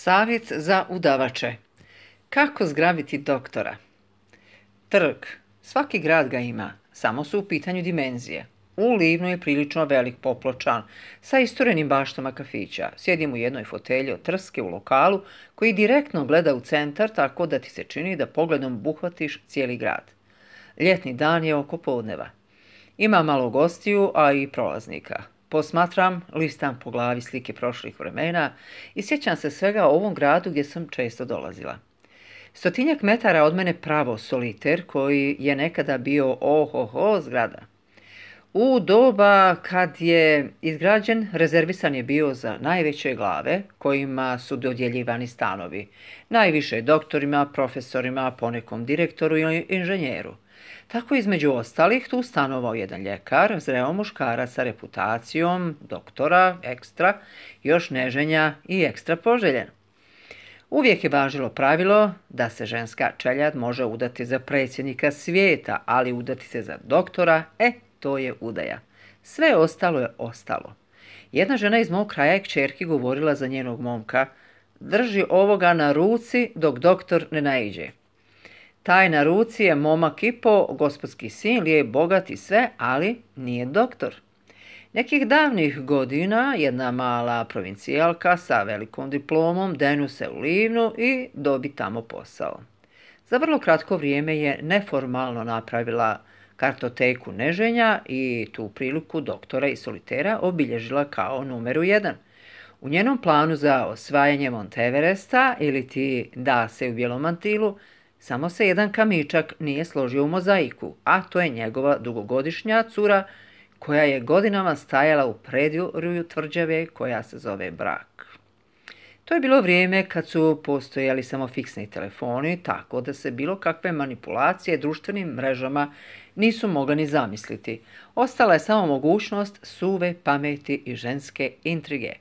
Savjet za udavače. Kako zgrabiti doktora? Trg. Svaki grad ga ima, samo su u pitanju dimenzije. U Livnu je prilično velik popločan, sa isturenim baštama kafića. Sjedim u jednoj fotelji od trske u lokalu koji direktno gleda u centar, tako da ti se čini da pogledom buhvatiš cijeli grad. Ljetni dan je oko podneva. Ima malo gostiju, a i prolaznika. Posmatram, listam po glavi slike prošlih vremena i sjećam se svega o ovom gradu gdje sam često dolazila. 100-tinjak metara od mene pravo soliter koji je nekada bio zgrada. U doba kad je izgrađen, rezervisan je bio za najveće glave kojima su dodjeljivani stanovi. Najviše doktorima, profesorima, ponekom direktoru ili inženjeru. Tako između ostalih tu stanovao jedan ljekar, zreo muškarac sa reputacijom, doktora, ekstra, još neženja i ekstra poželjen. Uvijek je važilo pravilo da se ženska čeljad može udati za predsjednika svijeta, ali udati se za doktora, to je udaja. Sve ostalo je ostalo. Jedna žena iz mog kraja je kćerki govorila za njenog momka: drži ovoga na ruci dok doktor ne naiđe. Taj na ruci je momak i po, gospodski sin, lijep, bogat i sve, ali nije doktor. Nekih davnih godina jedna mala provincijalka sa velikom diplomom denu se u Livnu i dobi tamo posao. Za vrlo kratko vrijeme je neformalno napravila kartoteku neženja i tu priliku doktora i solitera obilježila kao numeru 1. U njenom planu za osvajanje Monteveresta ili ti da se u bijelom mantilu samo se jedan kamičak nije složio u mozaiku, a to je njegova dugogodišnja cura koja je godinama stajala u predvorju tvrđave koja se zove brak. To je bilo vrijeme kad su postojali samo fiksni telefoni, tako da se bilo kakve manipulacije društvenim mrežama nisu mogle ni zamisliti. Ostala je samo mogućnost suve pameti i ženske intrige.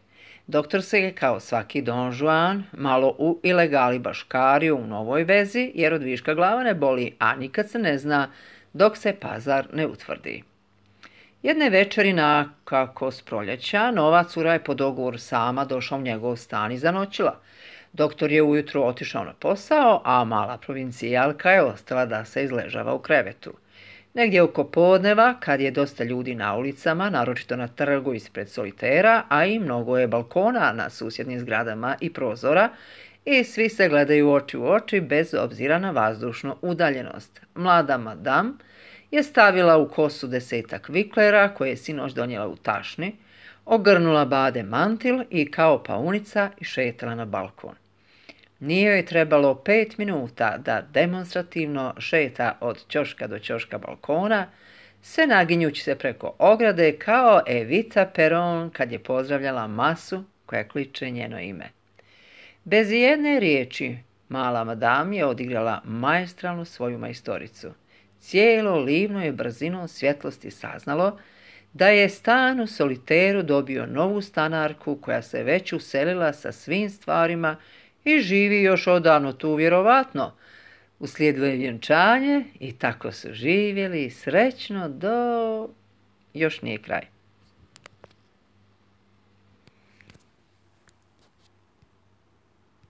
Doktor se je, kao svaki Don Juan, malo u ilegali baškario u novoj vezi, jer od viška glava ne boli, a nikad se ne zna dok se pazar ne utvrdi. Jedne večeri nakako s proljeća, nova cura je po dogovoru sama došla u njegov stan i zanoćila. Doktor je ujutro otišao na posao, a mala provincijalka je ostala da se izležava u krevetu. Negdje oko podneva, kad je dosta ljudi na ulicama, naročito na trgu ispred solitera, a i mnogo je balkona na susjednim zgradama i prozora, i svi se gledaju oči u oči bez obzira na vazdušnu udaljenost. Mlada madam je stavila u kosu 10-tak viklera koje je sinoć donijela u tašni, ogrnula bade mantil i kao paunica išetala na balkon. Nije joj trebalo 5 minuta da demonstrativno šeta od ćoška do ćoška balkona, sve naginjući se preko ograde kao Evita Peron kad je pozdravljala masu koja kliče njeno ime. Bez jedne riječi mala madam je odigrala maestralnu svoju majstoricu. Cijelo Livno je brzinom svjetlosti saznalo da je stan u soliteru dobio novu stanarku koja se već uselila sa svim stvarima i živi još odavno tu vjerovatno. Uslijedilo je vjenčanje i tako su živjeli srećno do... još nije kraj.